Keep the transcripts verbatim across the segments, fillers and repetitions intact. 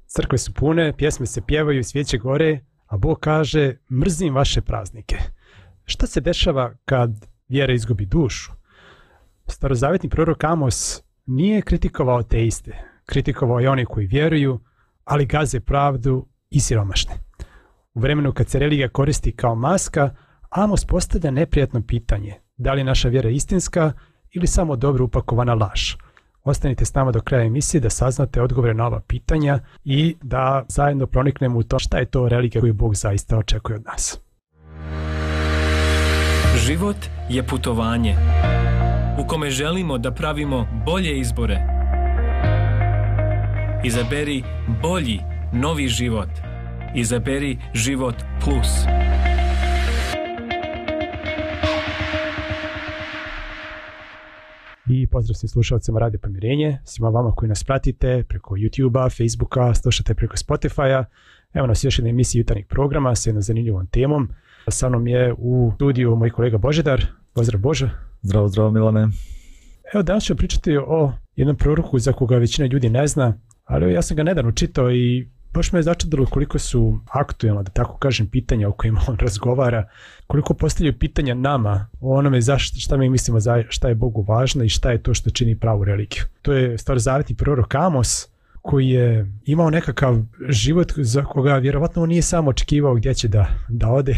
Crkve su pune, pjesme se pjevaju, svijeće gore, a Bog kaže mrzim vaše praznike. Šta se dešava kad vjera izgubi dušu? Starozavjetni prorok Amos nije kritikovao ateiste, kritikovao je one koji vjeruju, ali gaze pravdu i siromašne. U vremenu kad se religija koristi kao maska, Amos postavlja neprijatno pitanje, da li je naša vjera istinska ili samo dobro upakovana laž. Ostanite s nama do kraja emisije da saznate odgovore na ova pitanja i da zajedno proniknemo u to šta je to religija koju Bog zaista očekuje od nas. Život je putovanje u kome želimo da pravimo bolje izbore. Izaberi bolji, novi život. Izaberi Život Plus. I pozdrav svim slušalcima Radio Pomirenje, svima vama koji nas pratite preko YouTube-a, Facebooka, slušate preko Spotify-a. Evo nas još jedna emisija jutarnjeg programa sa jednom zanimljivom temom. Sa mnom je u studiju moj kolega Božidar. Pozdrav Bože. Zdravo, zdravo Milane. Evo danas ću pričati o jednom proroku za koga većina ljudi ne zna, ali ja sam ga nedavno čitao i baš me je začudilo koliko su aktuelna, da tako kažem, pitanja o kojima on razgovara, koliko postavljaju pitanja nama o onome za šta mi mislimo, za šta je Bogu važno i šta je to što čini pravu religiju. To je starozavjetni prorok Amos koji je imao nekakav život za koga vjerovatno on nije samo očekivao gdje će da, da ode.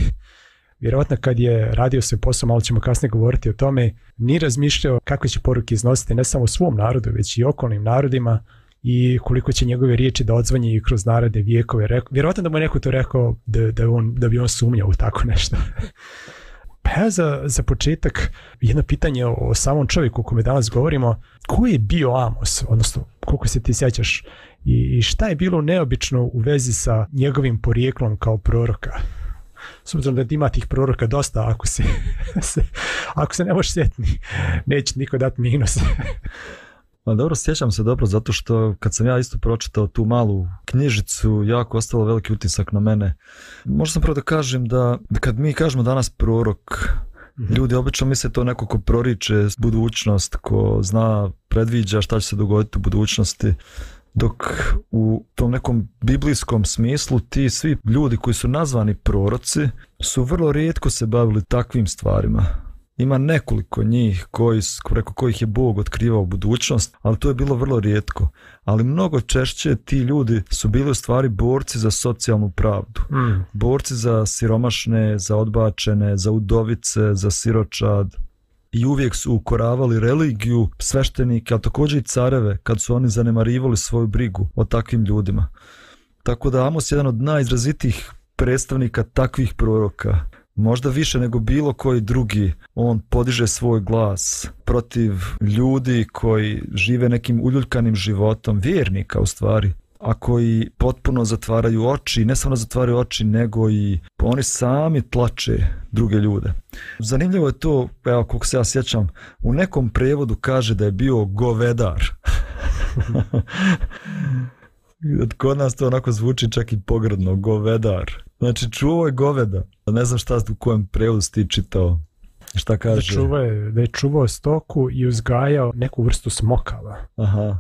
Vjerovatno kad je radio svoj posao, malo ćemo kasnije govoriti o tome, nije razmišljao kakve će poruke iznositi ne samo svom narodu, već i okolnim narodima i koliko će njegove riječi da odzvanje i kroz narode, vijekove. Vjerovatno da mu je neko to rekao da, da, on, da bi on sumnjao u tako nešto. Pa ja za, za početak jedno pitanje o, o samom čovjeku o kome danas govorimo. Ko je bio Amos, odnosno koliko se ti sjećaš, i, i šta je bilo neobično u vezi sa njegovim porijeklom kao proroka? S obzirom da ima tih proroka dosta, ako se, se, ako se ne možeš sjetiti, neće niko dati minus. Pa dobro, sjećam se dobro, zato što kad sam ja isto pročitao tu malu knjižicu, jako ostalo veliki utisak na mene. Možda sam prvo da kažem da kad mi kažemo danas prorok, mm-hmm. ljudi obično misle to neko ko proriče budućnost, ko zna, predviđa šta će se dogoditi u budućnosti. Dok u tom nekom biblijskom smislu ti svi ljudi koji su nazvani proroci su vrlo rijetko se bavili takvim stvarima. Ima nekoliko njih koji, preko kojih je Bog otkrivao budućnost, ali to je bilo vrlo rijetko. Ali mnogo češće ti ljudi su bili u stvari borci za socijalnu pravdu. Mm. Borci za siromašne, za odbačene, za udovice, za siročad. I uvijek su ukoravali religiju, sveštenike, a također i careve, kad su oni zanemarivali svoju brigu o takvim ljudima. Tako da Amos je jedan od najizrazitijih predstavnika takvih proroka. Možda više nego bilo koji drugi, on podiže svoj glas protiv ljudi koji žive nekim uljuljkanim životom, vjernika u stvari, a koji potpuno zatvaraju oči, ne samo zatvaraju oči, nego i oni sami tlače druge ljude. Zanimljivo je to, evo koliko se ja sjećam, u nekom prevodu kaže da je bio govedar. Kod nas to onako zvuči čak i pogrdno, govedar. Znači čuvao je goveda. Ne znam šta u kojem prevodu si ti čitao. Šta kaže? Da, čuvao je, da je čuvao stoku i uzgajao neku vrstu smokava. Aha.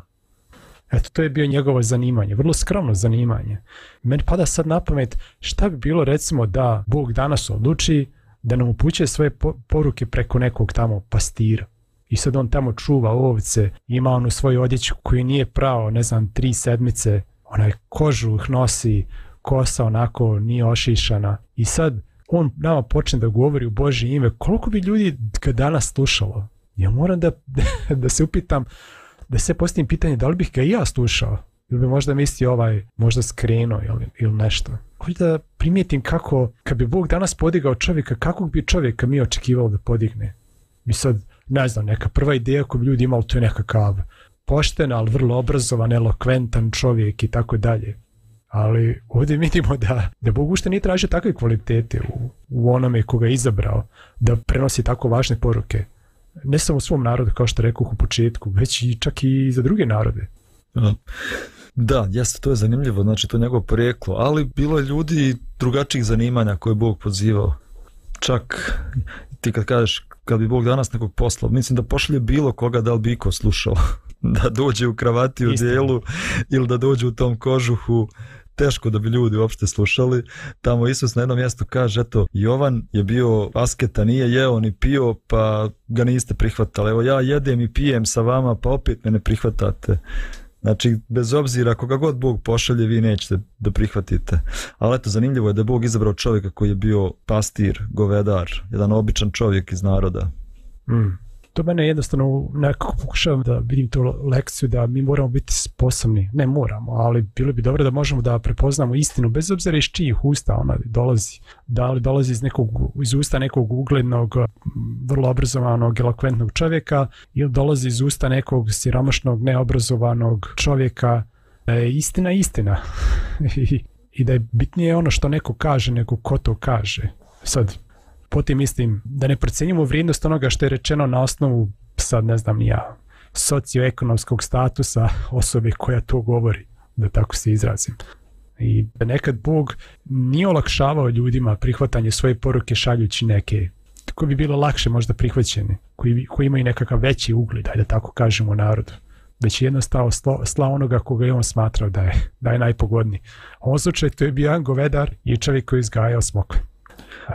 Eto, to je bio njegovo zanimanje, vrlo skromno zanimanje. Meni pada sad na pamet šta bi bilo recimo da Bog danas odluči da nam upućuje svoje poruke preko nekog tamo pastira. I sad on tamo čuva ovce, ima onu svoju odjeću koju nije prao, ne znam, tri sedmice, onaj kožuh nosi, kosa onako nije ošišana. I sad on nama počne da govori u Božje ime. Koliko bi ljudi ga danas slušalo? Ja moram da, da se upitam, da se postavim pitanje da li bih ga i ja slušao. Ili bi možda mislio ovaj, možda skrenuo ili, ili nešto. Hoću da primijetim kako, kad bi Bog danas podigao čovjeka, kakvog bi čovjeka mi očekivalo da podigne? Mi sad, ne znam, neka prva ideja koju bi ljudi imali, to je nekakav pošten, ali vrlo obrazovan, elokventan čovjek i tako dalje. Ali ovdje vidimo da, da Bog ušte nije tražio takve kvalitete u, u onome koga je izabrao da prenosi tako važne poruke. Ne samo svom narodu, kao što rekao u početku, već i čak i za druge narode. Da, jeste, to je zanimljivo, znači to je njegovo porijeklo, ali bilo je ljudi drugačijih zanimanja koje je Bog pozivao. Čak ti kad kažeš, kad bi Bog danas nekog poslao, mislim da pošalje bilo koga, da li bi iko slušao. da dođe u kravati u dijelu ili da dođe u tom kožuhu, teško da bi ljudi uopšte slušali. Tamo Isus na jednom mjestu kaže, eto, Jovan je bio asketa, nije jeo ni pio, pa ga niste prihvatali. Evo ja jedem i pijem sa vama, pa opet me ne prihvatate. Znači, bez obzira koga god Bog pošalje, vi nećete da prihvatite. Ali eto, zanimljivo je da je Bog izabrao čovjeka koji je bio pastir, govedar, jedan običan čovjek iz naroda. Mm. To mene jednostavno nekako pokušavam da vidim tu lekciju da mi moramo biti sposobni, ne moramo, ali bilo bi dobro da možemo da prepoznamo istinu bez obzira iz čijih usta ona dolazi. Da li dolazi iz, nekog, iz usta nekog uglednog, vrlo obrazovanog, elokventnog čovjeka ili dolazi iz usta nekog siromašnog, neobrazovanog čovjeka. Da je istina istina I, i da je bitnije ono što neko kaže nego ko to kaže. Sad, potim mislim da ne procenjujemo vrijednost onoga što je rečeno na osnovu, sad ne znam ja, socioekonomskog statusa osobe koja to govori, da tako se izrazim. I da nekad Bog nije olakšavao ljudima prihvatanje svoje poruke šaljući neke koji bi bilo lakše možda prihvaćene, koji, koji imaju nekakav veći ugled, da tako kažemo, narodu. Već je jednostavno slao onoga koga je on smatrao da je, da je najpogodniji. U ovom slučaju to je bio jedan govedar i čovjek koji je izgajao smokve.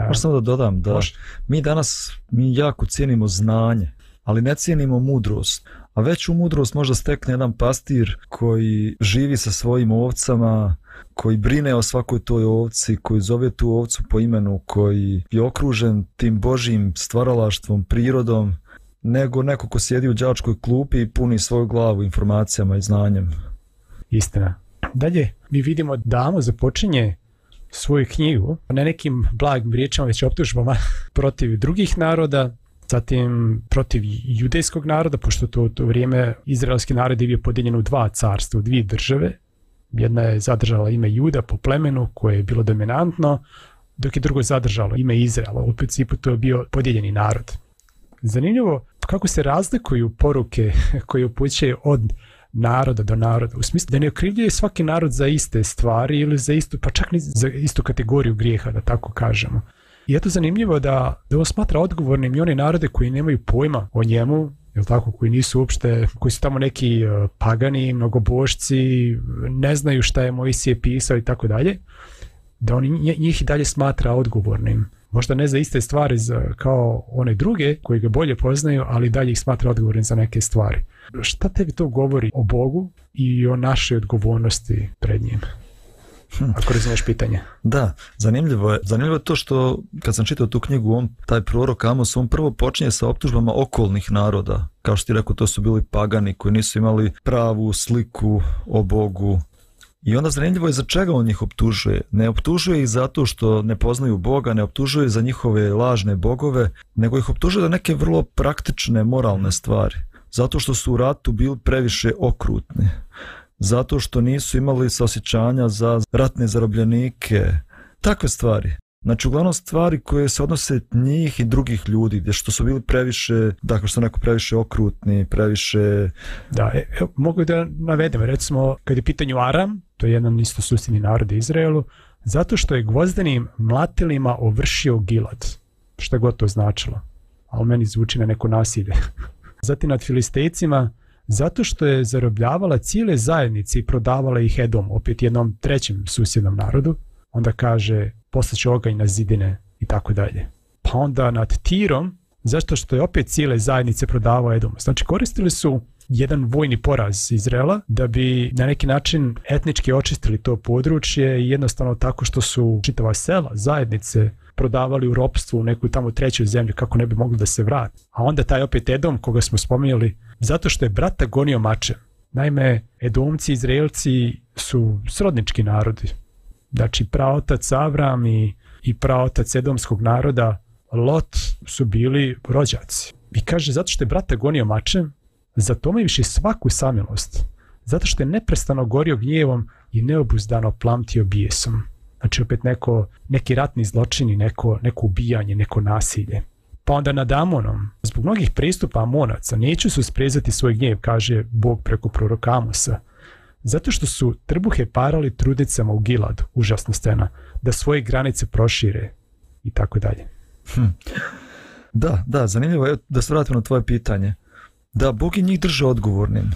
Možda samo da dodam da Može. mi danas mi jako cijenimo znanje, ali ne cijenimo mudrost. A veću mudrost možda stekne jedan pastir koji živi sa svojim ovcama, koji brine o svakoj toj ovci, koji zove tu ovcu po imenu, koji je okružen tim Božjim stvaralaštvom, prirodom, nego neko ko sjedi u đačkoj klupi i puni svoju glavu informacijama i znanjem. Istina. Dalje mi vidimo da Amos započinje svoju knjigu ne nekim blagim riječima, već optužbama protiv drugih naroda, zatim protiv judejskog naroda, pošto to u to vrijeme izraelski narod je bio podijeljen u dva carstva, u dvije države. Jedna je zadržala ime Juda po plemenu koje je bilo dominantno, dok je drugo zadržalo ime Izraela. U principu to je bio podijeljeni narod. Zanimljivo kako se razlikuju poruke koje upućuje od naroda do naroda, u smislu da ne okrivljuje svaki narod za iste stvari ili za istu, pa čak ni za istu kategoriju grijeha, da tako kažemo. I eto zanimljivo da, da on smatra odgovornim i one narode koji nemaju pojma o njemu, jel tako, koji nisu uopšte, koji su tamo neki uh, pagani, mnogobošci, ne znaju šta je Mojsije pisao i tako dalje, da on njih i dalje smatra odgovornim. Možda ne za iste stvari za, kao one druge koji ga bolje poznaju, ali dalje ih smatra odgovornim za neke stvari. Šta tebi to govori o Bogu i o našoj odgovornosti pred njim? Hm. Ako razumiješ pitanje. Da, zanimljivo je. Zanimljivo je to što kad sam čitao tu knjigu, on, taj prorok Amos, on prvo počinje sa optužbama okolnih naroda. Kao što ti rekao, to su bili pagani koji nisu imali pravu sliku o Bogu. I onda zanimljivo je za čega on njih optužuje. Ne optužuje ih zato što ne poznaju Boga, ne optužuje za njihove lažne bogove, nego ih optužuje za neke vrlo praktične moralne stvari. Zato što su u ratu bili previše okrutni. Zato što nisu imali saosjećanja za ratne zarobljenike. Takve stvari. Znači, uglavnom stvari koje se odnose njih i drugih ljudi, gdje što su bili previše, dakle što neko previše okrutni, previše... Da, evo, mogu da navedem, recimo, kad je pitanju Aram, to je jedan isto susjedni narod Izraelu, zato što je gvozdenim mlatilima ovršio Gilad, što god to značilo, ali meni zvuči na neko nasilje. Zatim nad Filistejcima, zato što je zarobljavala cijele zajednice i prodavala ih Edom, opet jednom trećem susjednom narodu, onda kaže poslaće oganj na zidine i tako dalje. Pa onda nad Tirom, zašto što je opet cijele zajednice prodavao Edom. Znači koristili su jedan vojni poraz Izraela da bi na neki način etnički očistili to područje i jednostavno tako što su čitava sela, zajednice prodavali u ropstvu u neku tamo treću zemlju kako ne bi mogli da se vrati. A onda taj opet Edom koga smo spominjali, zato što je brata gonio mačem. Naime, Edomci, Izraelci su srodnički narodi. Znači praotac Avram i, i praotac Edomskog naroda Lot su bili rođaci. I kaže zato što je brata gonio mačem, zato me više svaku samilost. Zato što je neprestano gorio gnjevom i neobuzdano plamtio bijesom. Znači opet neko, neki ratni zločini, neko, neko ubijanje, neko nasilje. Pa onda nad Amonom, zbog mnogih pristupa Amonaca, neću su sprezati svoj gnjev, kaže Bog preko proroka Amosa. Zato što su trbuhe parali trudnicama u Giladu, užasna scena, da svoje granice prošire i tako dalje. Hm. Da, da, zanimljivo je da se vratimo na tvoje pitanje. Da, Bog je njih drže odgovornim.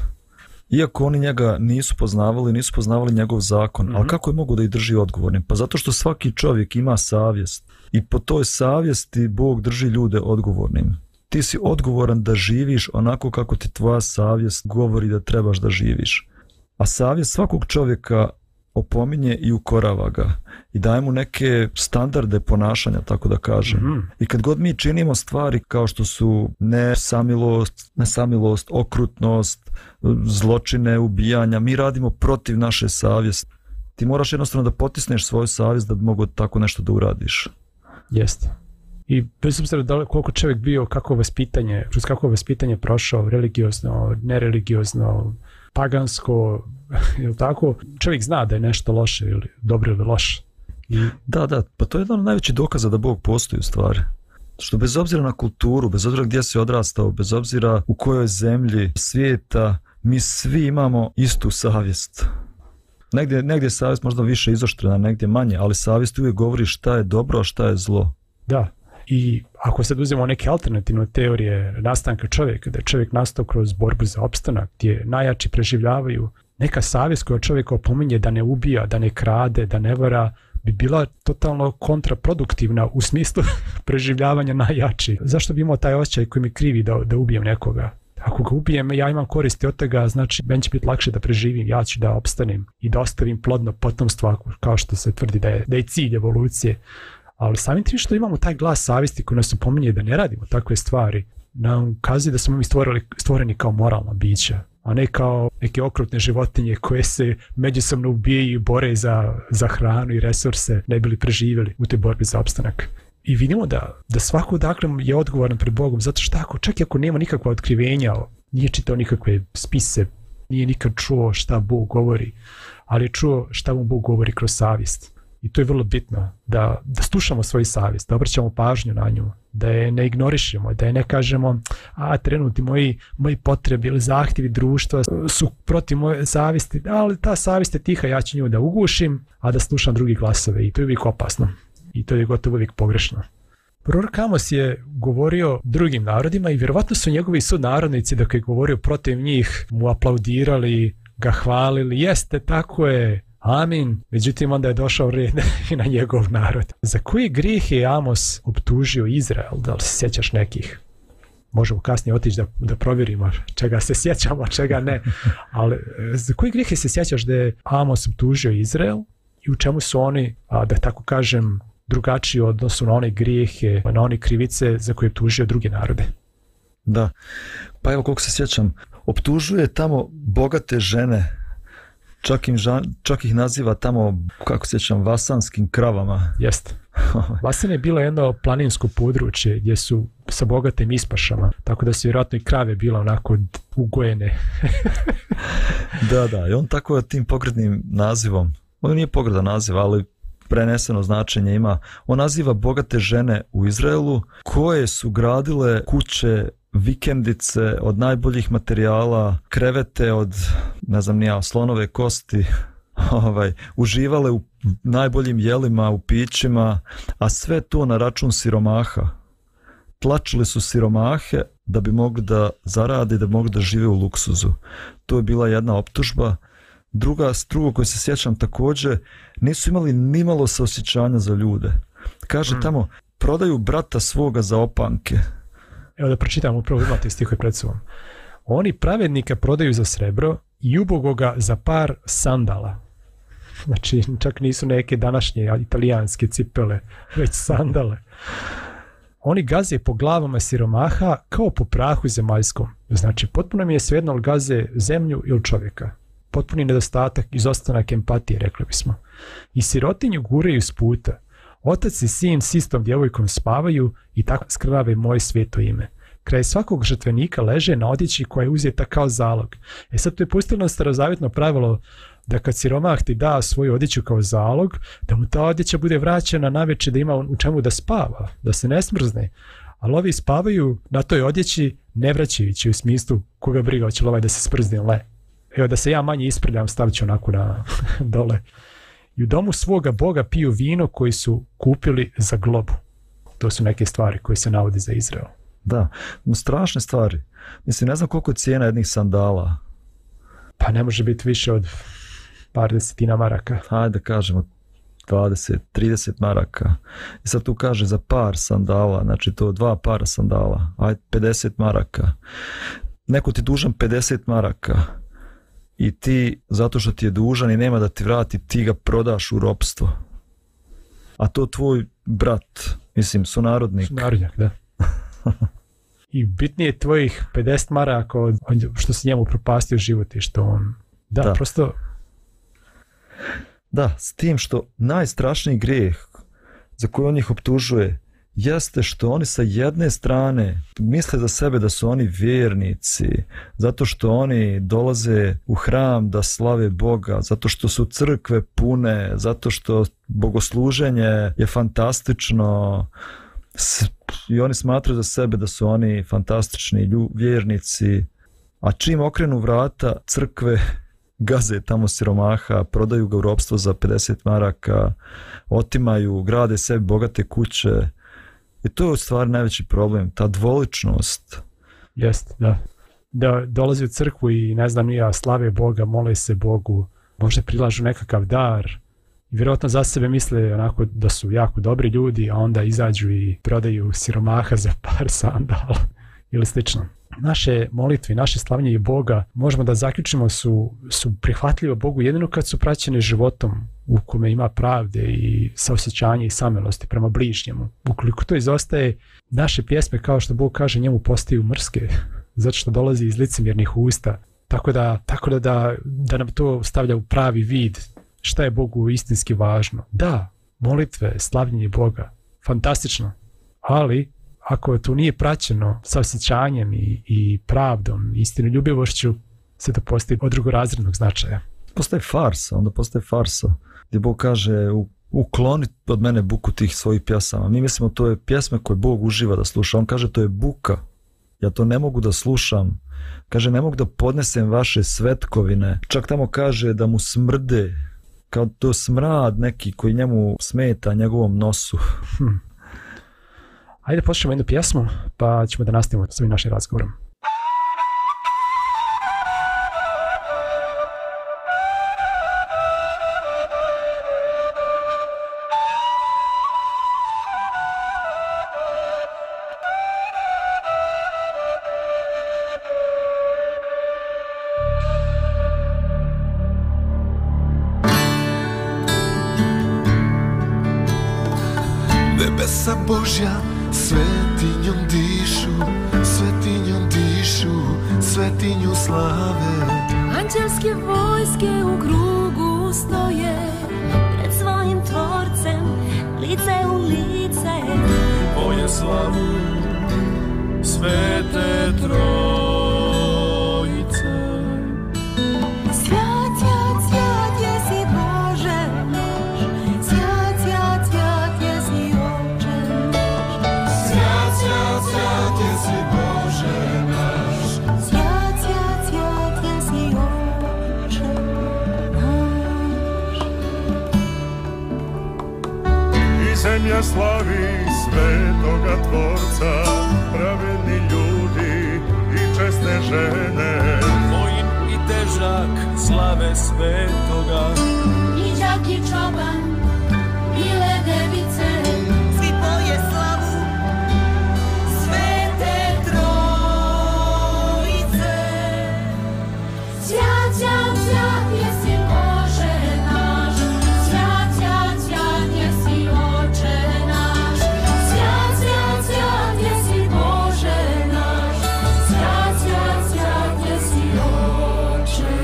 Iako oni njega nisu poznavali, nisu poznavali njegov zakon, mm-hmm. ali kako je mogu da ih drži odgovornim? Pa zato što svaki čovjek ima savjest i po toj savjesti Bog drži ljude odgovornim. Ti si odgovoran da živiš onako kako ti tvoja savjest govori da trebaš da živiš. A savjest svakog čovjeka opominje i ukorava ga i daje mu neke standarde ponašanja, tako da kažem. Mm-hmm. I kad god mi činimo stvari kao što su nesamilost, nesamilost, okrutnost, zločine, ubijanja, mi radimo protiv naše savjesti. Ti moraš jednostavno da potisneš svoju savjest da bi mogo tako nešto da uradiš. Jeste. I bez obzira da koliko čovjek bio, kako vaspitanje, kroz kako vaspitanje prošao, religiozno, nereligiozno, pagansko, ili tako, čovjek zna da je nešto loše ili dobro ili loše. I... Da, da, pa to je jedan od najvećih dokaza da Bog postoji u stvari. Što bez obzira na kulturu, bez obzira gdje si odrastao, bez obzira u kojoj zemlji svijeta, mi svi imamo istu savjest. Negdje, negdje je savjest možda više izoštrena, negdje manje, ali savjest uvijek govori šta je dobro, a šta je zlo. Da. I ako sad uzmemo neke alternativne teorije nastanka čovjeka, da je čovjek nastao kroz borbu za opstanak, gdje najjači preživljavaju, neka savjest koja čovjeka opominje da ne ubija, da ne krade, da ne vara, bi bila totalno kontraproduktivna u smislu preživljavanja najjači. Zašto bi imao taj osjećaj koji mi krivi da, da ubijem nekoga? Ako ga ubijem, ja imam koristi od toga, znači meni će biti lakše da preživim, ja ću da opstanem i da ostavim plodno potomstvo, kao što se tvrdi da je, da je cilj evolucije. Ali samim tim što imamo taj glas savjesti koji nas opominje da ne radimo takve stvari, nam ukazuje da smo mi stvorili, stvoreni kao moralna bića, a ne kao neke okrutne životinje koje se međusobno ubijaju i bore za, za hranu i resurse, ne bili preživjeli u toj borbi za opstanak. I vidimo da, da svako dakle je odgovoran pred Bogom, zato što ako, čak i ako nema nikakva otkrivenja, nije čitao nikakve spise, nije nikad čuo šta Bog govori, ali je čuo šta mu Bog govori kroz savjest. I to je vrlo bitno, da, da slušamo svoju savjest, da obraćamo pažnju na nju, da je ne ignorišemo, da je ne kažemo a trenuti moji, moji potrebi ili zahtjevi društva su protiv moje savjesti, ali ta savjest je tiha, ja ću nju da ugušim, a da slušam drugi glasove i to je uvijek opasno i to je gotovo uvijek pogrešno. Prorok Amos je govorio drugim narodima i vjerovatno su njegovi sunarodnici dok je govorio protiv njih mu aplaudirali, ga hvalili, jeste, tako je, amin. Međutim, onda je došao red i na njegov narod. Za koji grijeh je Amos optužio Izrael? Da li se sjećaš nekih? Možemo kasnije otići da, da provjerimo čega se sjećamo, čega ne. Ali za koji grijeh je se sjećaš da je Amos optužio Izrael i u čemu su oni, a, da tako kažem, drugačiji odnosu na one grijehe, na one krivice za koje je optužio druge narode? Da, pa evo koliko se sjećam, optužuje tamo bogate žene, čak, im žan, čak ih naziva tamo, kako se sjećam, vasanskim kravama. Jeste. Vasan je bilo jedno planinsko područje gdje su sa bogatim ispašama, tako da su vjerojatno i krave bila onako ugojene. Da, da, i on tako tim pogrdnim nazivom, on nije pogrdan naziv, ali preneseno značenje ima, on naziva bogate žene u Izraelu koje su gradile kuće, vikendice od najboljih materijala, krevete od, ne znam nija, slonove kosti, ovaj, uživale u najboljim jelima, u pićima, a sve to na račun siromaha. Tlačili su siromahe da bi mogli da zarade, da bi mogli da žive u luksuzu. To je bila jedna optužba. Druga, drugo koje se sjećam također, nisu imali nimalo saosjećanja za ljude. Kaže hmm. tamo, prodaju brata svoga za opanke. Evo da pročitam, upravo imate stihove pred sobom. Oni pravednika prodaju za srebro i ubogoga za par sandala. Znači, čak nisu neke današnje italijanske cipele, već sandale. Oni gaze po glavama siromaha kao po prahu zemaljskom. Znači, potpuno mi je svejedno li gaze zemlju ili čovjeka. Potpuni nedostatak, izostanak empatije, rekli bismo. I sirotinju guraju s puta. Otac i sin s istom djevojkom spavaju i tako skrnave moje sveto ime. Kraj svakog žrtvenika leže na odjeći koja je uzeta kao zalog. E sad to je pustilo starozavjetno pravilo da kad siromah ti da svoju odjeću kao zalog, da mu ta odjeća bude vraćena navečer da ima u čemu da spava, da se ne smrzne. Ali ovi spavaju na toj odjeći ne vraćajući u smislu koga briga hoće li ovaj da se sprzne, le. Evo da se ja manje isprljam, stavit ću onako na dole. I u domu svoga Boga piju vino koji su kupili za globu. To su neke stvari koje se navode za Izrael. Da, no strašne stvari. Mislim, ne znam koliko je cijena jednih sandala. Pa ne može biti više od par desetina maraka. Hajde da kažemo dvadeset, trideset maraka. I sad tu kaže za par sandala, znači to dva para sandala, ajde pedeset maraka. Neko ti dužan pedeset maraka i ti, zato što ti je dužan i nema da ti vrati, ti ga prodaš u ropstvo. A to tvoj brat, mislim, sunarodnik. Sunarodnjak, da. I bitnije je tvojih pedeset maraka od što si njemu propastio život i što on... Da, da. prosto... Da, s tim što najstrašniji grijeh za koji on ih optužuje jeste što oni sa jedne strane misle za sebe da su oni vjernici, zato što oni dolaze u hram da slave Boga, zato što su crkve pune, zato što bogosluženje je fantastično i oni smatraju za sebe da su oni fantastični lju, vjernici, a čim okrenu vrata crkve gaze tamo siromaha, prodaju ga u ropstvo za pedeset maraka, otimaju, grade sebi bogate kuće. I to je u stvari najveći problem, ta dvoličnost. Jeste, da. Da dolazi u crkvu i ne znam ja, slave Boga, mole se Bogu, možda prilažu nekakav dar i vjerojatno za sebe misle onako da su jako dobri ljudi, a onda izađu i prodaju siromaha za par sandala ili slično. Naše molitve, naše slavljenje Boga možemo da zaključimo su, su prihvatljive Bogu jedino kad su praćene životom u kome ima pravde i saosjećanje i samilosti prema bližnjemu. Ukoliko to izostaje, naše pjesme, kao što Bog kaže, njemu postaju mrske, zato što dolazi iz licemjernih usta. Tako da, tako da, da, da nam to stavlja u pravi vid šta je Bogu istinski važno. Da, molitve, slavljenje Boga, fantastično, ali ako to nije praćeno sa osjećanjem i, i pravdom, istinoljubivošću, se to postaje od drugorazrednog značaja. Postaje farsa, onda postaje farsa, gdje Bog kaže u, ukloni od mene buku tih svojih pjesama. Mi mislimo to je pjesme koje Bog uživa da sluša. On kaže to je buka, ja to ne mogu da slušam. Kaže ne mogu da podnesem vaše svetkovine. Čak tamo kaže da mu smrde, kao to smrad neki koji njemu smeta njegovom nosu. Hm. Ajde poslušamo jednu pjesmu, pa ćemo da nastavimo s ovim našim razgovorom. Nebesa Božja svetinjom dišu, svetinjom dišu, svetinju slave. Anđelske vojske u krugu stoje, pred svojim tvorcem, lice u lice. Poje slavu svete trojice. Svjat, svjat, svjat jesi Bože naš, svjat, svjat, svjat jesi Oče naš. Svjat, svjat, svjat jesi Bože naš. Svjat, svjat, svjat jesi Oče naš. I zemlja slavi svetoga Tvorca, pravedni ljudi i česne žene. Vojin i težak slave svetoga, I đak i čoban, bile device, svi poje slavu svete trojice. Svjat, svjat, svjat jesi Bože naš, svjat, svjat, svjat jesi Oče naš. Svjat, svjat, svjat jesi Bože naš, svjat, svjat, svjat jesi Oče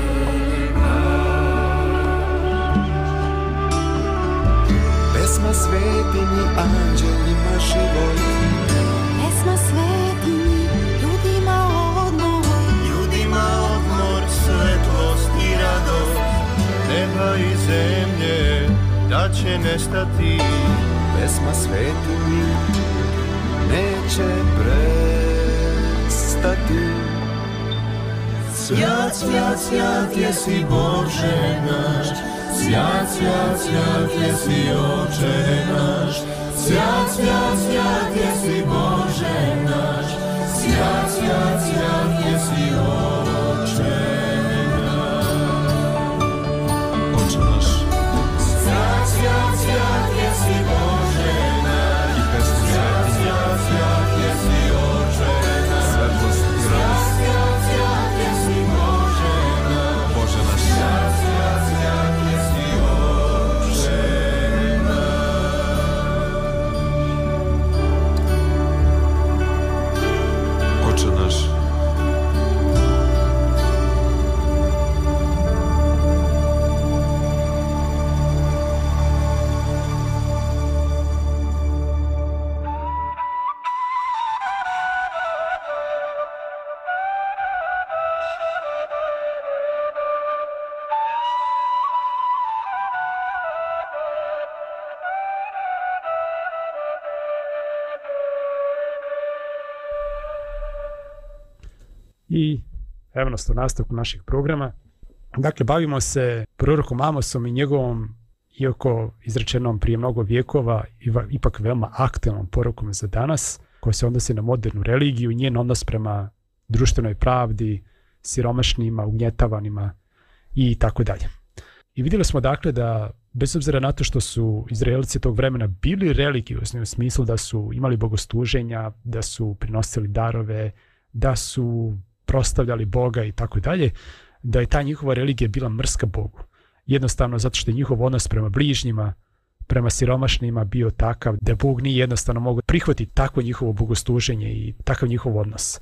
Pesma svetinji, anđelima život. Pesma svetinji, ljudima odmor, ljudima odmor, svetlost i radost. Neba i zemlje da će nestati. Pesma svetinji neće prestati. Svjat, svjat, svjat jesi Bože naš, svjat, svjat, svjat jesi Oče naš. Svjat, svjat, svjat jesi Bože naš, svjat, svjat, svjat jesi Oče naš. I evo nas u nastavku naših programa. Dakle, bavimo se prorokom Amosom i njegovom, iako izrečenom prije mnogo vjekova, ipak veoma aktualnom porukom za danas, koja se odnosi na modernu religiju i njen odnos prema društvenoj pravdi, siromašnima, ugnjetavanima i tako dalje. I vidjeli smo dakle da bez obzira na to što su Izraelci tog vremena bili religiozni u smislu da su imali bogosluženja, da su prinosili darove, da su prostavljali Boga i tako dalje, da je ta njihova religija bila mrska Bogu. Jednostavno zato što je njihov odnos prema bližnjima, prema siromašnima bio takav da Bog nije jednostavno mogao prihvatiti takvo njihovo bogosluženje i takav njihov odnos.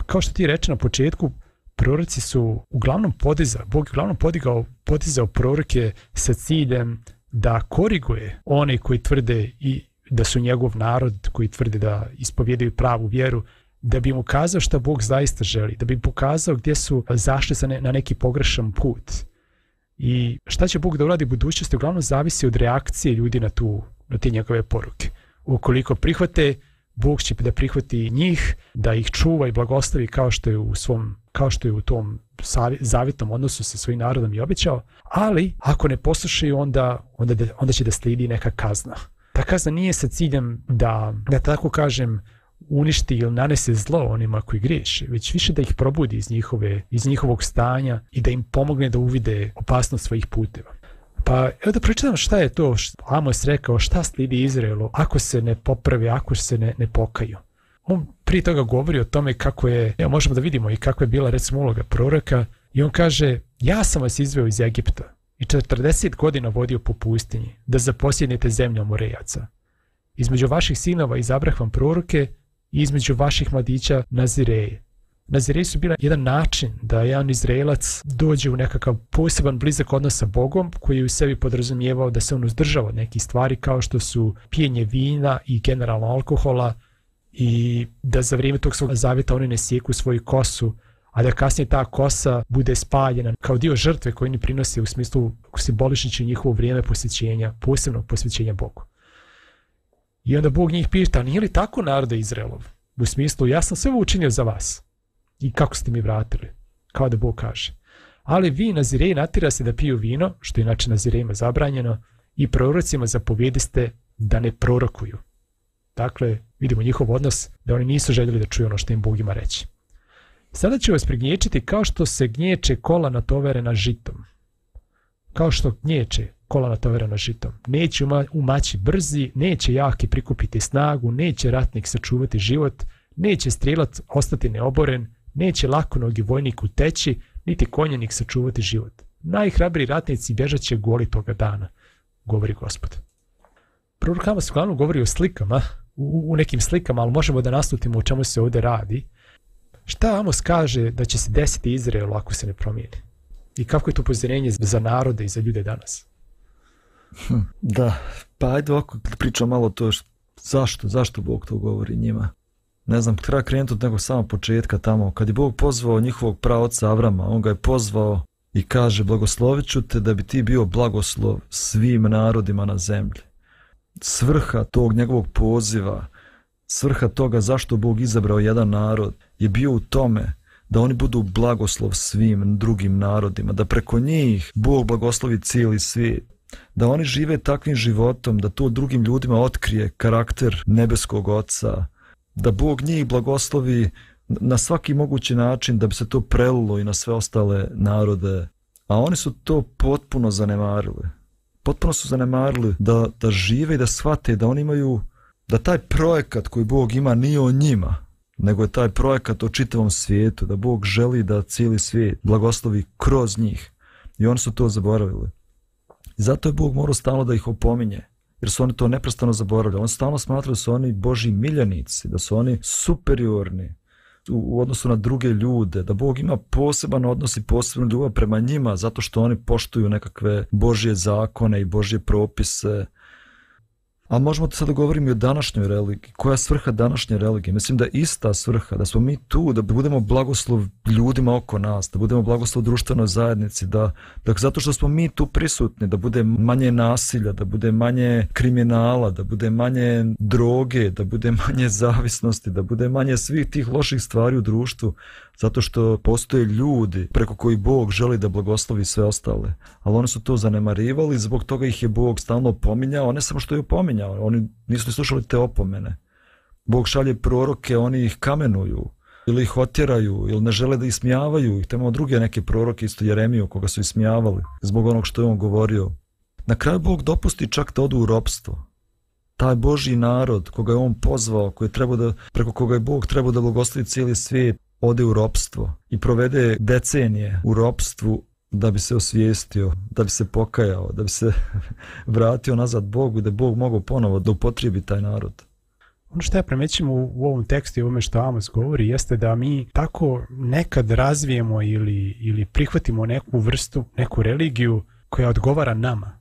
Kao što ti reče na početku, proroci su uglavnom podizao, Bog je uglavnom podigao, podizao proroke sa ciljem da koriguje one koji tvrde i da su njegov narod, koji tvrde da ispovjedaju pravu vjeru, da bi im ukazao šta Bog zaista želi, da bi im pokazao gdje su zašli na neki pogrešan put. I šta će Bog da uradi u budućnosti uglavnom zavisi od reakcije ljudi na, tu, na te njegove poruke. Ukoliko prihvate, Bog će da prihvati njih, da ih čuva i blagoslovi kao što je u svom, kao što je u tom zavjetnom odnosu sa svojim narodom i obećao, ali ako ne poslušaju, onda, onda, onda će da slijedi neka kazna. Ta kazna nije sa ciljem da, da tako kažem, uništi ili nanese zlo onima koji griješe, već više da ih probudi iz, njihove, iz njihovog stanja i da im pomogne da uvide opasnost svojih puteva. Pa evo da pročitam šta je to što Amos rekao, šta slijedi Izraelu ako se ne popravi, ako se ne, ne pokaju. On prije toga govori o tome kako je, evo možemo da vidimo i kako je bila recimo uloga proroka, i on kaže: ja sam vas izveo iz Egipta i četrdeset godina vodio po pustinji da zaposjednete zemlju Amorejaca. Između vaših sinova izabrah vam proroke i između vaših mladića Nazireje. Nazireji su bila jedan način da jedan Izraelac dođe u nekakav poseban blizak odnos sa Bogom, koji je u sebi podrazumijevao da se on uzdržava od nekih stvari kao što su pijenje vina i generalno alkohola, i da za vrijeme tog svog zavjeta oni ne sjeku svoju kosu, a da kasnije ta kosa bude spaljena kao dio žrtve koju oni prinose u smislu simboličnići njihovo vrijeme posvećenja, posebnog posvećenja Bogu. I onda Bog njih pita: nije li tako narode Izraelov? U smislu, ja sam sve ovo učinio za vas. I kako ste mi vratili? Kao da Bog kaže: ali vi Nazireji natjera se da piju vino, što je inače Nazirejima zabranjeno, i prorocima zapovjediste da ne prorokuju. Dakle, vidimo njihov odnos da oni nisu željeli da čuju ono što im Bog ima reći. Sada ću vas prignječiti kao što se gnječe kola natoverena žitom. Kao što gnječe kola natoverena žitom. Neće umaći brzi, neće jaki prikupiti snagu, neće ratnik sačuvati život, neće strijelac ostati neoboren, neće lakonogi vojnik uteći, niti konjenik sačuvati život. Najhrabriji ratnici bježat će goli toga dana, govori Gospod. Prorok Amos uglavnom govori o slikama, u, u nekim slikama, ali možemo da naslutimo o čemu se ovdje radi. Šta Amos kaže da će se desiti Izraelu ako se ne promijeni? I kako je to upozorenje za narode i za ljude danas? Hm, da, pa ajde ovako pričam malo to što, zašto, zašto Bog to govori njima. Ne znam, treba krenuti od nekog samog početka tamo. Kad je Bog pozvao njihovog praoca Avrama, on ga je pozvao i kaže: blagoslovit ću te da bi ti bio blagoslov svim narodima na zemlji. Svrha tog njegovog poziva, svrha toga zašto Bog izabrao jedan narod je bio u tome da oni budu blagoslov svim drugim narodima, da preko njih Bog blagoslovi cijeli svijet, da oni žive takvim životom da to drugim ljudima otkrije karakter nebeskog Oca, da Bog njih blagoslovi na svaki mogući način da bi se to prelilo i na sve ostale narode. A oni su to potpuno zanemarili. Potpuno su zanemarili da, da žive i da shvate da oni imaju, da taj projekat koji Bog ima nije o njima, nego je taj projekat o čitavom svijetu, da Bog želi da cijeli svijet blagoslovi kroz njih. I oni su to zaboravili. I zato je Bog morao stalno da ih opominje, jer su oni to neprestano zaboravljali. Oni stalno smatrali da su oni Božji miljenici, da su oni superiorni u, u odnosu na druge ljude, da Bog ima poseban odnos i posebnu ljubav prema njima zato što oni poštuju nekakve Božje zakone i Božje propise. Ali možemo sada govoriti i o današnjoj religiji. Koja je svrha današnje religije? Mislim da je ista svrha, da smo mi tu, da budemo blagoslov ljudima oko nas, da budemo blagoslov društvenoj zajednici, da, da zato što smo mi tu prisutni, da bude manje nasilja, da bude manje kriminala, da bude manje droge, da bude manje zavisnosti, da bude manje svih tih loših stvari u društvu, zato što postoje ljudi preko koji Bog želi da blagoslovi sve ostale. Ali oni su to zanemarivali, zbog toga ih je Bog stalno opominjao, ne samo što je opominjao, oni nisu slušali te opomene. Bog šalje proroke, oni ih kamenuju, ili ih otjeraju, ili ne žele da ismijavaju ih. Tamo druge neke proroke, isto Jeremiju, koga su ismijavali, zbog onog što je on govorio. Na kraju Bog dopusti čak da odu u ropstvo. Taj Božji narod, koga je on pozvao, koji je trebao da, preko koga je Bog trebao da blagoslovi cijeli svijet, ode u ropstvo i provede decenije u ropstvu da bi se osvijestio, da bi se pokajao, da bi se vratio nazad Bogu, da Bog mogao ponovo da upotrijebi taj narod. Ono što ja primećim u, u ovom tekstu i ovome što Amos govori jeste da mi tako nekad razvijemo ili, ili prihvatimo neku vrstu, neku religiju koja odgovara nama,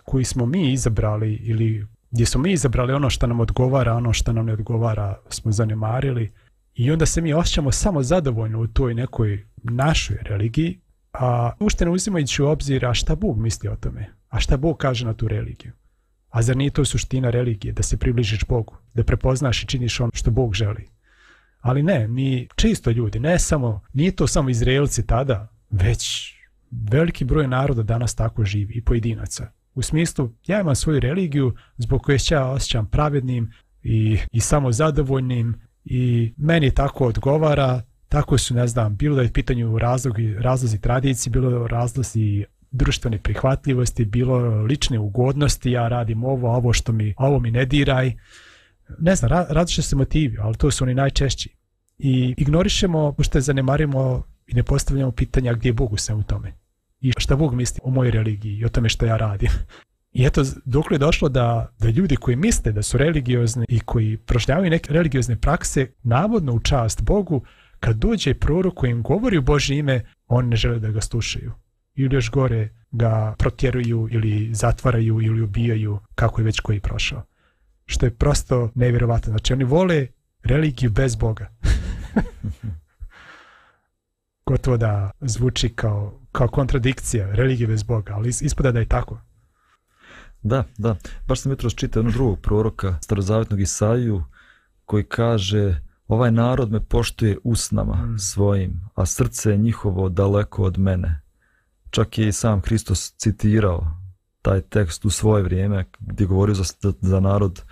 koju smo mi izabrali ili gdje smo mi izabrali ono što nam odgovara, ono što nam ne odgovara smo zanemarili. I onda se mi osjećamo samo zadovoljno u toj nekoj našoj religiji, a ušte ne uzimajući u obzir a šta Bog misli o tome, a šta Bog kaže na tu religiju. A zar nije to suština religije, da se približiš Bogu, da prepoznaš i činiš ono što Bog želi. Ali ne, mi čisto ljudi, ne samo, nije to samo Izraelci tada, već veliki broj naroda danas tako živi i pojedinaca. U smislu, ja imam svoju religiju zbog koje se ja osjećam pravednim i, i samo zadovoljnim, i meni tako odgovara, tako su, ne znam, bilo da je pitanju razlozi, razlozi tradicije, bilo razlozi društvene prihvatljivosti, bilo lične ugodnosti, ja radim ovo, ovo što mi, ovo mi ne diraj. Ne znam, različite se motivi, ali to su oni najčešći. I ignorišemo, što zanemarimo i ne postavljamo pitanja gdje je Bog u svemu tome. I šta Bog misli o mojoj religiji i o tome što ja radim. I eto, dok je došlo da, da ljudi koji misle da su religiozni i koji prožnjavaju neke religiozne prakse, navodno u čast Bogu, kad dođe prorok koji im govori u Božje ime, oni ne žele da ga slušaju. Ili još gore ga protjeruju ili zatvaraju ili ubijaju, kako je već koji prošao. Što je prosto nevjerovatno. Znači, oni vole religiju bez Boga. Gotovo da zvuči kao, kao kontradikcija, religije bez Boga, ali ispada da je tako. Da, da. Baš sam jutros čitao jednog drugog proroka, starozavetnog Isaiju, koji kaže: ovaj narod me poštuje usnama mm. svojim, a srce je njihovo daleko od mene. Čak je i sam Hristos citirao taj tekst u svoje vrijeme, gdje govorio za, za narod: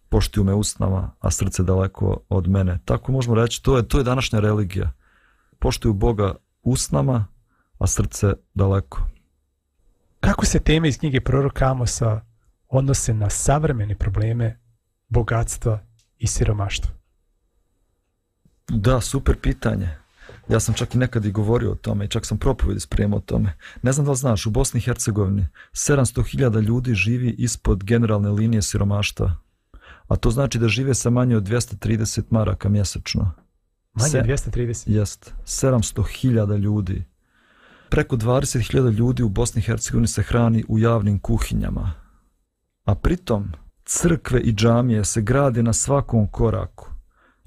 poštuju me usnama, a srce daleko od mene. Tako možemo reći, to je, to je današnja religija. Poštuju Boga usnama, a srce daleko. Kako se teme iz knjige proroka Amosa odnose na savremene probleme bogatstva i siromaštva? Da, super pitanje. Ja sam čak i nekad i govorio o tome i čak sam propovjedi spremao o tome. Ne znam da li znaš, u Bosni i Hercegovini sedamsto hiljada ljudi živi ispod generalne linije siromaštva. A to znači da žive sa manje od dvjesto trideset maraka mjesečno. Manje od dvjesto trideset? Jest, sedamsto hiljada ljudi. Preko dvadeset hiljada ljudi u Bosni i Hercegovini se hrani u javnim kuhinjama. A pritom crkve i džamije se grade na svakom koraku.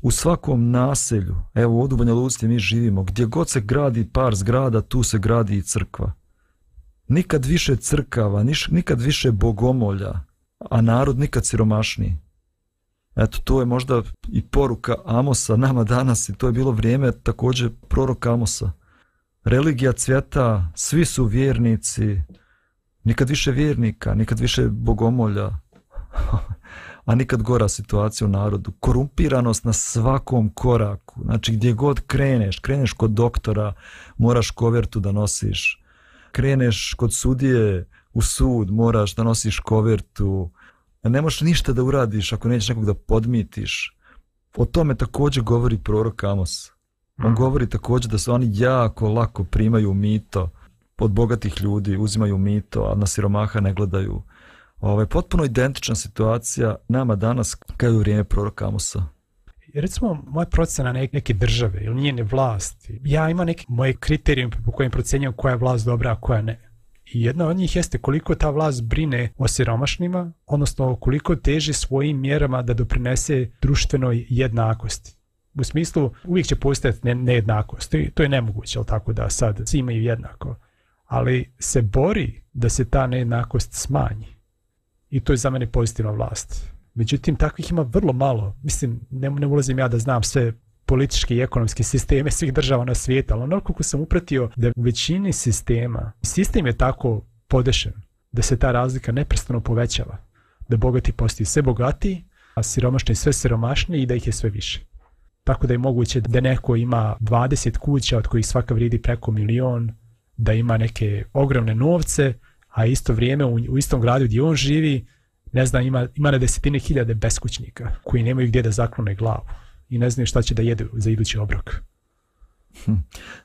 U svakom naselju, evo ovdje u Banja Luci mi živimo, gdje god se gradi par zgrada, tu se gradi i crkva. Nikad više crkava, nikad više bogomolja, a narod nikad siromašniji. Eto, to je možda i poruka Amosa nama danas i to je bilo vrijeme također proroka Amosa. Religija cvjeta, svi su vjernici, nikad više vjernika, nikad više bogomolja, a nikad gora situacija u narodu. Korumpiranost na svakom koraku, znači gdje god kreneš, kreneš kod doktora, moraš kovertu da nosiš. Kreneš kod sudije u sud, moraš da nosiš kovertu. Ne možeš ništa da uradiš ako nećeš nekog da podmitiš. O tome također govori prorok Amos. On govori također da se oni jako lako primaju mito od bogatih ljudi, uzimaju mito, a na siromaha ne gledaju. Ovo je potpuno identična situacija nama danas kao u vrijeme proroka Amosa. Recimo, moja procena neke države ili njene vlasti, ja imam neke moje kriterijume po kojim procjenjujem koja je vlast dobra, a koja ne. I jedna od njih jeste koliko ta vlast brine o siromašnima, odnosno koliko teži svojim mjerama da doprinese društvenoj jednakosti. U smislu, uvijek će postojati nejednakost, to je nemoguće, ali tako da sad svi imaju jednako, ali se bori da se ta nejednakost smanji. I to je za mene pozitivna vlast. Međutim, takvih ima vrlo malo. Mislim, ne, ne ulazim ja da znam sve političke i ekonomske sisteme svih država na svijetu, ali ono koliko sam upratio da u većini sistema, sistem je tako podešen da se ta razlika neprestano povećava. Da bogati postaju sve bogatiji, a siromašni sve siromašniji i da ih je sve više. Tako da je moguće da neko ima dvadeset kuća od kojih svaka vrijedi preko milion, da ima neke ogromne novce, a isto vrijeme u, u istom gradu gdje on živi, ne znam, ima, ima na desetine hiljade beskućnika koji nemaju gdje da zaklone glavu i ne znaju šta će da jedu za idući obrok. Hm,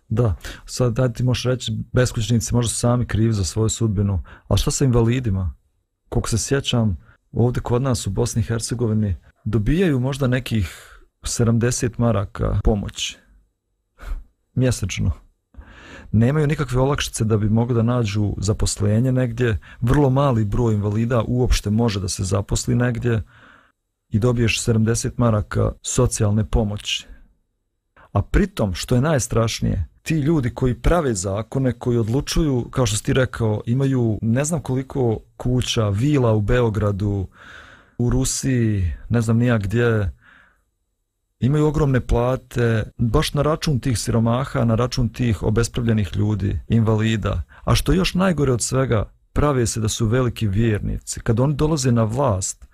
da, sad daj ti možeš reći, beskućnici možda su sami krivi za svoju sudbinu, ali šta sa invalidima? Koliko se sjećam, ovdje kod nas u Bosni i Hercegovini dobijaju možda nekih sedamdeset maraka pomoći mjesečno. Nemaju nikakve olakšice da bi mogli da nađu zaposlenje negdje, vrlo mali broj invalida uopšte može da se zaposli negdje i dobiješ sedamdeset maraka socijalne pomoći. A pritom, što je najstrašnije, ti ljudi koji prave zakone, koji odlučuju, kao što si ti rekao, imaju ne znam koliko kuća, vila u Beogradu, u Rusiji, ne znam nija gdje, imaju ogromne plate, baš na račun tih siromaha, na račun tih obespravljenih ljudi, invalida. A što još najgore od svega, prave se da su veliki vjernici. Kad oni dolaze na vlast,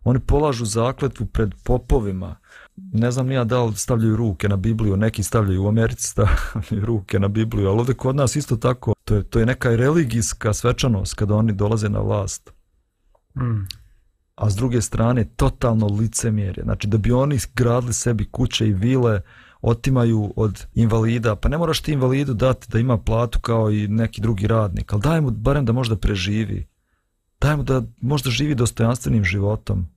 oni polažu zakletvu pred popovima. Ne znam nija da li stavljaju ruke na Bibliju, neki stavljaju u Americi stavljaju ruke na Bibliju, ali ovdje kod nas isto tako. To je, to je neka religijska svečanost kada oni dolaze na vlast. Mm. A s druge strane totalno licemjerje. Znači da bi oni gradili sebi kuće i vile, otimaju od invalida. Pa ne moraš ti invalidu dati da ima platu kao i neki drugi radnik, ali daj mu barem da možda preživi. Daj mu da možda živi dostojanstvenim životom.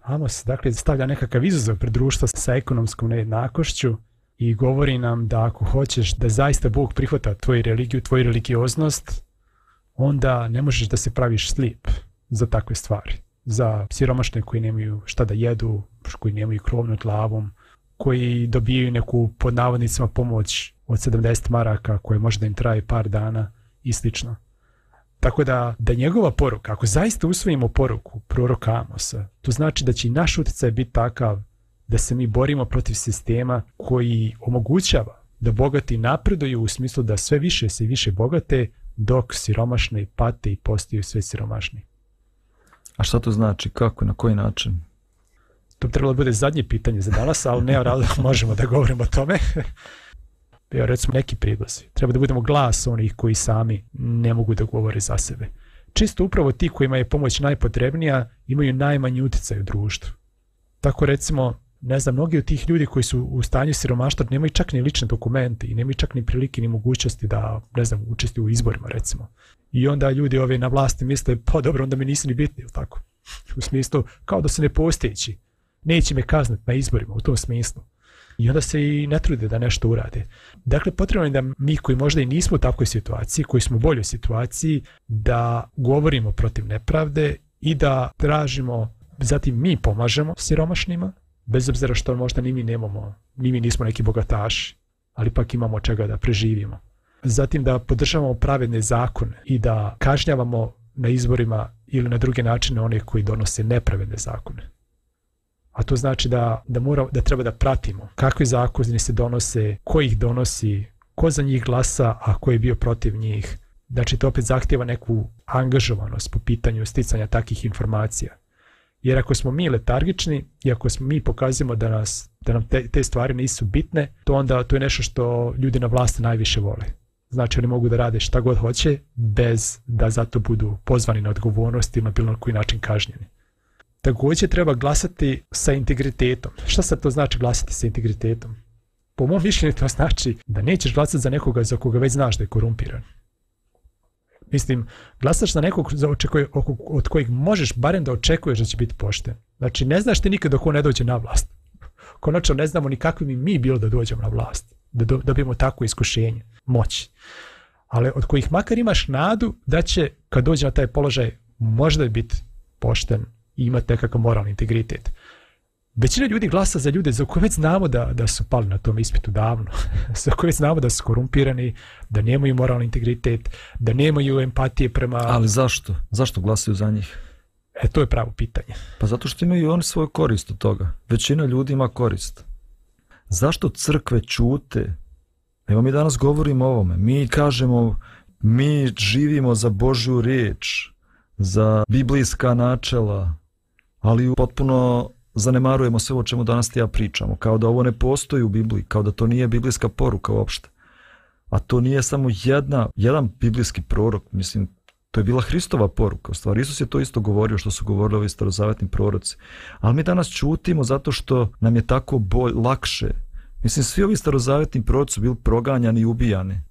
Amos, dakle, stavlja nekakav izazov pred društvo sa ekonomskom nejednakošću i govori nam da ako hoćeš da zaista Bog prihvata tvoju religiju, tvoju religioznost, onda ne možeš da se praviš slijep za takve stvari. Za siromašne koji nemaju šta da jedu, koji nemaju krov nad glavom, koji dobijaju neku pod navodnicima pomoć od sedamdeset maraka koja može da im traje par dana i slično. Tako da, da njegova poruka, ako zaista usvojimo poruku proroka Amosa, to znači da će i naš utjecaj biti takav da se mi borimo protiv sistema koji omogućava da bogati napreduju u smislu da sve više se više bogate, dok siromašni pate i postaju sve siromašni. A šta to znači? Kako? Na koji način? To bi trebalo bude zadnje pitanje za danas, ali ne rado možemo da govorimo o tome. Evo, recimo neki prijedlozi. Treba da budemo glas onih koji sami ne mogu da govore za sebe. Čisto upravo ti kojima je pomoć najpotrebnija imaju najmanji utjecaj u društvu. Tako recimo, ne znam, mnogi od tih ljudi koji su u stanju siromaštva nemaju čak ni lične dokumente i nemaju čak ni prilike ni mogućnosti da, ne znam, učestvuju u izborima recimo. I onda ljudi ove na vlasti misle, pa dobro, onda mi nisu ni bitni, ili tako? U smislu, kao da su nepostojeći. Neće me kazniti na izborima, u tom smislu. I onda se i ne trude da nešto urade. Dakle, potrebno je da mi koji možda i nismo u takvoj situaciji, koji smo u boljoj situaciji, da govorimo protiv nepravde i da tražimo, zatim mi pomažemo siromašnima, bez obzira što možda ni mi nemamo, ni mi nismo neki bogataši, ali pak imamo od čega da preživimo. Zatim da podržavamo pravedne zakone i da kažnjavamo na izborima ili na druge načine one koji donose nepravedne zakone. A to znači da, da, mora, da treba da pratimo kakvi zakoni se donose, ko ih donosi, ko za njih glasa, a ko je bio protiv njih. Znači to opet zahtjeva neku angažovanost po pitanju sticanja takvih informacija. Jer ako smo mi letargični i ako smo mi pokazujemo da, nas, da nam te, te stvari nisu bitne, to onda to je nešto što ljudi na vlasti najviše vole. Znači oni mogu da rade šta god hoće bez da zato budu pozvani na odgovornost ili na bilo koji način kažnjeni. Također treba glasati sa integritetom. Šta sad to znači glasati sa integritetom? Po mom mišljenju to znači da nećeš glasati za nekoga za koga već znaš da je korumpiran. Mislim, glasaš za nekog za očekuje, od kojeg možeš barem da očekuješ da će biti pošten. Znači ne znaš ti nikad dok on ne dođe na vlast. Konačno ne znamo ni kakvi mi mi bilo da dođemo na vlast. Da dobijemo takvo iskušenje, moći. ali od kojih makar imaš nadu da će, kad dođe na taj položaj, možda biti pošten i imati nekakav moralni integritet. Većina ljudi glasa za ljude za koje već znamo da, da su pali na tom ispitu davno, za koje već znamo da su korumpirani, da nemaju moralni integritet, da nemaju empatije prema... Ali zašto? Zašto glasaju za njih? E, to je pravo pitanje. Pa zato što imaju oni svoju korist od toga. Većina ljudi ima korist. Zašto crkve ćute? Evo mi danas govorimo o ovome. Mi kažemo, mi živimo za Božju riječ, za biblijska načela, ali potpuno zanemarujemo sve o čemu danas ti ja pričamo. Kao da ovo ne postoji u Bibliji, kao da to nije biblijska poruka uopšte. A to nije samo jedna, jedan biblijski prorok, mislim, to je bila Hristova poruka. U stvari, Isus je to isto govorio što su govorili ovi starozavetni proroci. Ali mi danas ćutimo zato što nam je tako bolj, lakše. Mislim, svi ovi starozavetni proroci su bili proganjani i ubijani.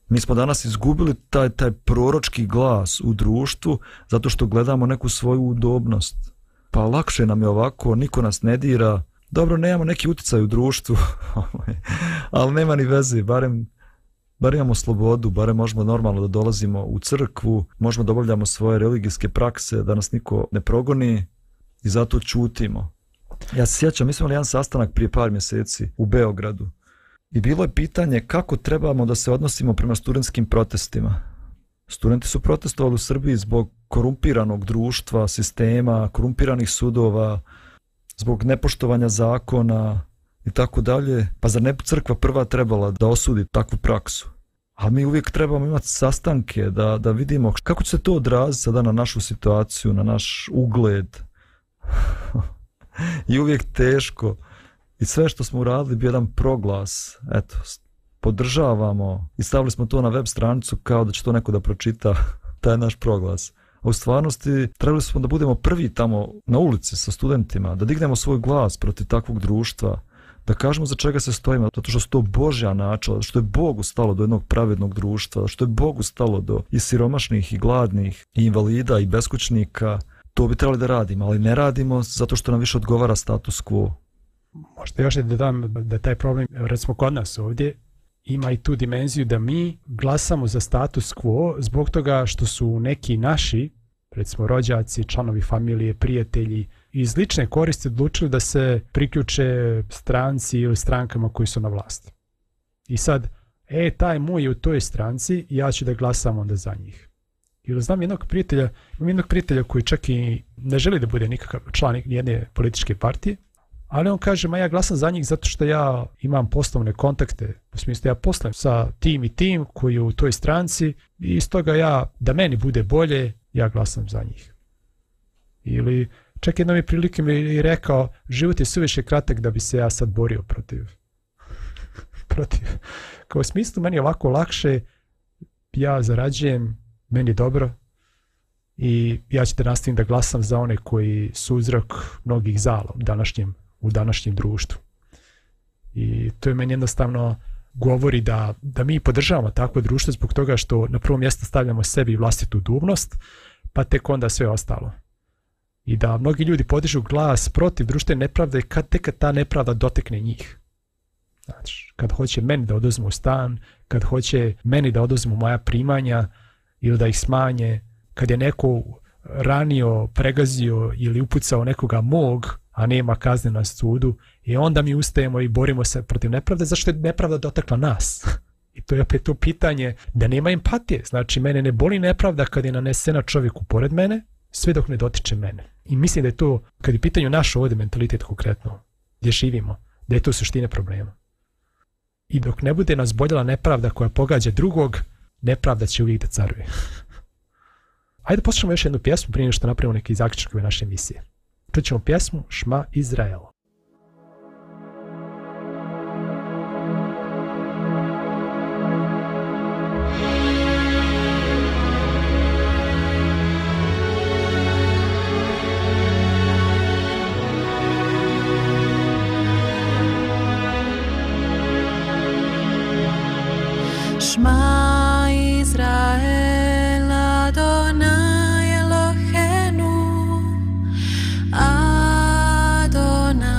Mi smo danas izgubili taj, taj proročki glas u društvu zato što gledamo neku svoju udobnost. Pa lakše nam je ovako, niko nas ne dira. Dobro, nemamo neki utjecaj u društvu, ali nema ni veze, barem, barem imamo slobodu, barem možemo normalno da dolazimo u crkvu, možemo da obavljamo svoje religijske prakse, da nas niko ne progoni i zato ćutimo. Ja se sjećam, mi smo imali jedan sastanak prije par mjeseci u Beogradu i bilo je pitanje kako trebamo da se odnosimo prema studentskim protestima. Studenti su protestovali u Srbiji zbog korumpiranog društva, sistema, korumpiranih sudova, zbog nepoštovanja zakona i tako dalje. Pa zar ne bi crkva prva trebala da osudi takvu praksu? A mi uvijek trebamo imati sastanke da, da vidimo kako će se to odraziti sada na našu situaciju, na naš ugled. I uvijek teško. I sve što smo uradili bio jedan proglas. Eto, podržavamo i stavili smo to na web stranicu kao da će to neko da pročita, taj naš proglas. A u stvarnosti trebali smo da budemo prvi tamo na ulici sa studentima, da dignemo svoj glas protiv takvog društva, da kažemo za čega se stojimo, zato što su to Božja načela, što je Bogu stalo do jednog pravednog društva, što je Bogu stalo do i siromašnih i gladnih i invalida i beskućnika. To bi trebali da radimo, ali ne radimo zato što nam više odgovara status quo. Možda još da dodam da taj problem, recimo kod nas ovdje, ima i tu dimenziju da mi glasamo za status quo zbog toga što su neki naši, recimo rođaci, članovi familije, prijatelji, iz lične koristi odlučili da se priključe stranci ili strankama koji su na vlasti. I sad, e, taj moj je u toj stranci, ja ću da glasam onda za njih. Ili znam jednog prijatelja, imam jednog prijatelja koji čak i ne želi da bude nikakav član jedne političke partije, ali on kaže, ma ja glasam za njih zato što ja imam poslovne kontakte, u smislu ja poslujem sa tim i tim koji je u toj stranci i iz toga ja, da meni bude bolje, ja glasam za njih. Ili čak jednom je prilike mi rekao, život je suviše kratak da bi se ja sad borio protiv. protiv. Kao u smislu, meni je ovako lakše, ja zarađujem, meni je dobro i ja ću da nastavim da glasam za one koji su uzrok mnogih zala u današnjem, u današnjem društvu. I to je meni jednostavno govori da, da mi podržavamo takvo društvo zbog toga što na prvo mjesto stavljamo sebi vlastitu udobnost, pa tek onda sve ostalo. I da mnogi ljudi podižu glas protiv društvene nepravde kad tek ta nepravda dotekne njih. Znači, kad hoće meni da oduzmu stan, kad hoće meni da oduzmu moja primanja ili da ih smanje, kad je neko ranio, pregazio ili upucao nekoga mog, a nema kazne na sudu, i onda mi ustajemo i borimo se protiv nepravde, zašto je nepravda dotakla nas? I to je opet to pitanje da nema empatije. Znači, mene ne boli nepravda kad je nanesena čovjeku pored mene, sve dok ne dotiče mene. I mislim da je to, kad je pitanju naš ovdje mentalitet konkretno, gdje živimo, da je to suština problema. I dok ne bude nas boljela nepravda koja pogađa drugog, nepravda će uvijek da caruje. Ajde poslušamo još jednu pjesmu prije nego što napravimo neki zaključak ove naše emisije. Čut ćemo pjesmu Šma Izrael. Šma Izrael, Adonai Eloheinu, Adonai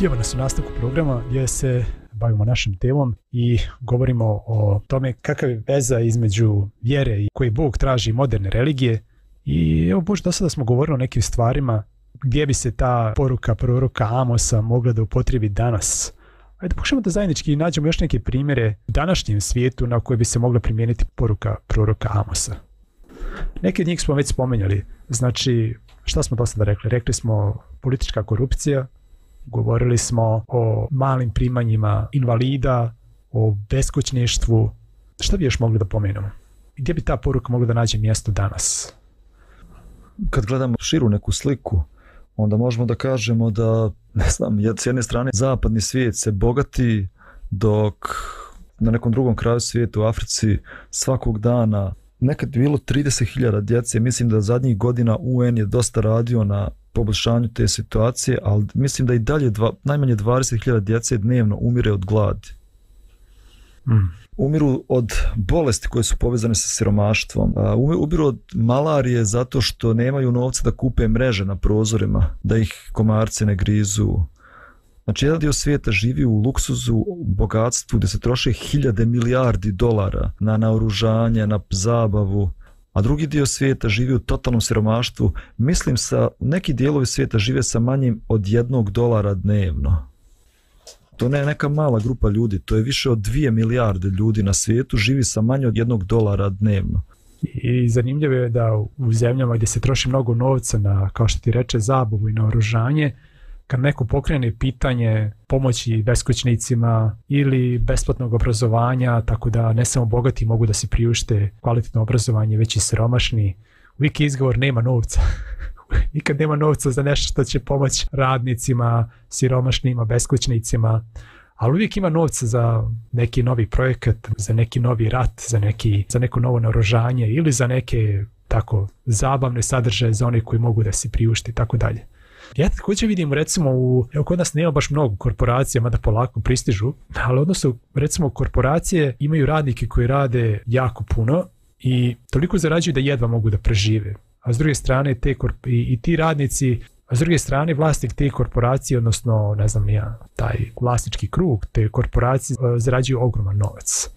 Evo nas u nastavku programa gdje se bavimo našim temom i govorimo o tome kakva je veza između vjere i koji Bog traži moderne religije. I evo Bože, do sada smo govorili o nekim stvarima gdje bi se ta poruka proroka Amosa mogla da upotrebi danas. Ajde pokušamo da zajednički nađemo još neke primjere u današnjem svijetu na koje bi se mogla primijeniti poruka proroka Amosa. Neki od njih smo već spomenjali. Znači, šta smo do sada rekli? Rekli smo politička korupcija, govorili smo o malim primanjima invalida, o beskućništvu. Šta bi još mogli da pomenemo? Gdje bi ta poruka mogla da nađe mjesto danas? Kad gledamo širu neku sliku, onda možemo da kažemo da, ne znam, s jedne strane zapadni svijet se bogati, dok na nekom drugom kraju svijeta u Africi svakog dana nekad je bilo trideset hiljada djece. Mislim da zadnjih godina U N je dosta radio na poboljšanju te situacije, ali mislim da i dalje dva, najmanje dvadeset hiljada djece dnevno umire od gladi. Mm. Umiru od bolesti koje su povezane sa siromaštvom. Umiru od malarije zato što nemaju novca da kupe mreže na prozorima, da ih komarci ne grizu. Znači, jedan dio svijeta živi u luksuzu, u bogatstvu gdje se troše hiljade milijardi dolara na naoružanje, na zabavu, a drugi dio svijeta živi u totalnom siromaštvu. Mislim, sa neki dijelovi svijeta žive sa manjim od jednog dolara dnevno. To ne je neka mala grupa ljudi, to je više od dvije milijarde ljudi na svijetu živi sa manje od jednog dolara dnevno. I zanimljivo je da u zemljama gdje se troši mnogo novca na, kao što ti reče, zabavu i naoružanje, kad neko pokrene pitanje pomoći beskućnicima ili besplatnog obrazovanja, tako da ne samo bogati mogu da se priušte kvalitetno obrazovanje, već i siromašni, uvijek je izgovor nema novca. Nikad nema novca za nešto što će pomoći radnicima, siromašnima, beskućnicima, ali uvijek ima novca za neki novi projekat, za neki novi rat, za, neki, za neko novo naoružanje ili za neke tako zabavne sadržaje za one koji mogu da se priušte i tako dalje. Ja također vidim, recimo, u, evo kod nas nema baš mnogo korporacija, mada polako pristižu, ali odnosno, recimo, korporacije imaju radnike koji rade jako puno i toliko zarađuju da jedva mogu da prežive. A s druge strane, te korp- i, i ti radnici, a s druge strane, vlasnik te korporacije, odnosno, ne znam ja, taj vlasnički krug te korporacije zarađuju ogroman novac.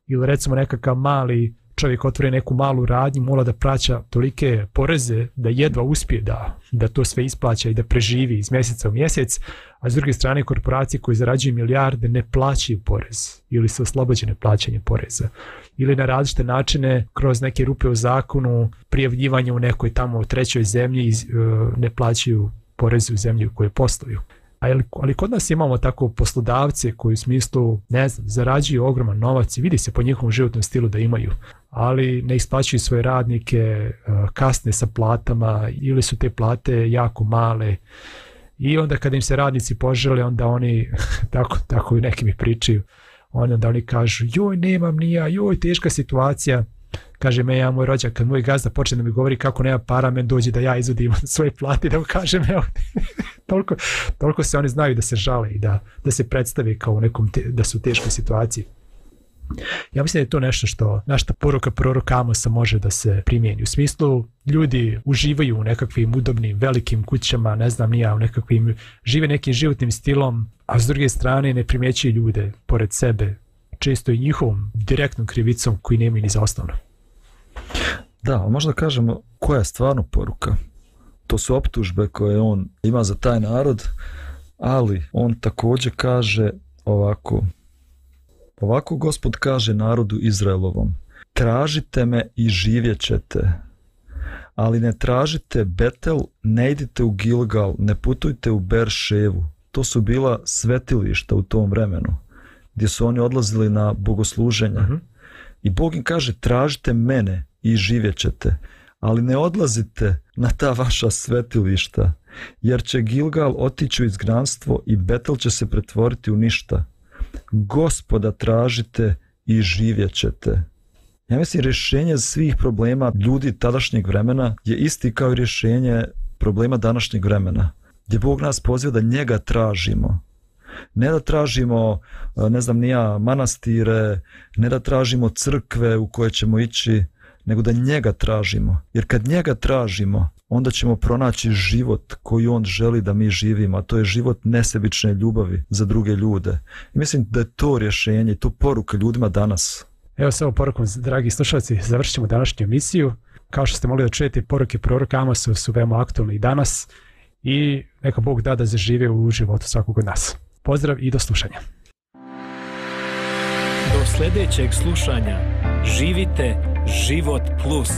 Ili recimo nekakav mali čovjek otvori neku malu radnju, mora da plaća tolike poreze da jedva uspije da, da to sve isplaća i da preživi iz mjeseca u mjesec, a s druge strane korporacije koje zarađuju milijarde ne plaćaju porez ili su oslobođene plaćanja poreza. Ili na različite načine kroz neke rupe u zakonu, prijavljivanje u nekoj tamo trećoj zemlji ne plaćaju poreze u zemlji u kojoj posluju. Ali, ali kod nas imamo tako poslodavce koji u smislu, ne znam, zarađuju ogroman novac i vidi se po njihovom životnom stilu da imaju, ali ne isplaćuju svoje radnike, kasne sa platama ili su te plate jako male. I onda kada im se radnici požele, onda oni, tako, tako i neki mi pričaju, onda oni kažu, joj nemam ni ja, joj teška situacija. Kaže me, ja moj rođak, kad moj gazda počne da mi govori kako nema para, men dođe da ja izvodim svoje plate, da mu kažem, evo, toliko, toliko se oni znaju da se žale i da, da se predstave kao u nekom, te, da su u teškoj situaciji. Ja mislim da je to nešto što našta poruka proroka Amosa može da se primijeni. U smislu, ljudi uživaju u nekakvim udobnim, velikim kućama, ne znam ni ja, u nekakvim, žive nekim životnim stilom, a s druge strane ne primjećuju ljude pored sebe, često i njihovom direktnom krivicom koji nemaju ni za osnovno. Da, možda kažemo koja je stvarno poruka. To su optužbe koje on ima za taj narod, ali on također kaže ovako. Ovako Gospod kaže narodu Izraelovom, tražite me i živjet ćete, ali ne tražite Betel, ne idite u Gilgal, ne putujte u Berševu. To su bila svetilišta u tom vremenu, gdje su oni odlazili na bogosluženja. Uh-huh. I Bog im kaže, tražite mene i živjet ćete, ali ne odlazite na ta vaša svetilišta, jer će Gilgal otići u izgnanstvo i Betel će se pretvoriti u ništa. Gospoda tražite i živjet ćete. Ja mislim, rješenje svih problema ljudi tadašnjeg vremena je isti kao i rješenje problema današnjeg vremena, gdje Bog nas poziva da njega tražimo. Ne da tražimo, ne znam ni ja, manastire, ne da tražimo crkve u koje ćemo ići, nego da njega tražimo. Jer kad njega tražimo, onda ćemo pronaći život koji on želi da mi živimo, a to je život nesebične ljubavi za druge ljude. I mislim da je to rješenje i to poruka ljudima danas. Evo s ovom porukom, dragi slušalci, završit ćemo današnju emisiju. Kao što ste mogli da čujete, poruke proroka Amosa su veoma aktualne i danas i neka Bog da da zažive u životu svakog od nas. Pozdrav i do slušanja. Do sljedećeg slušanja živite Život plus.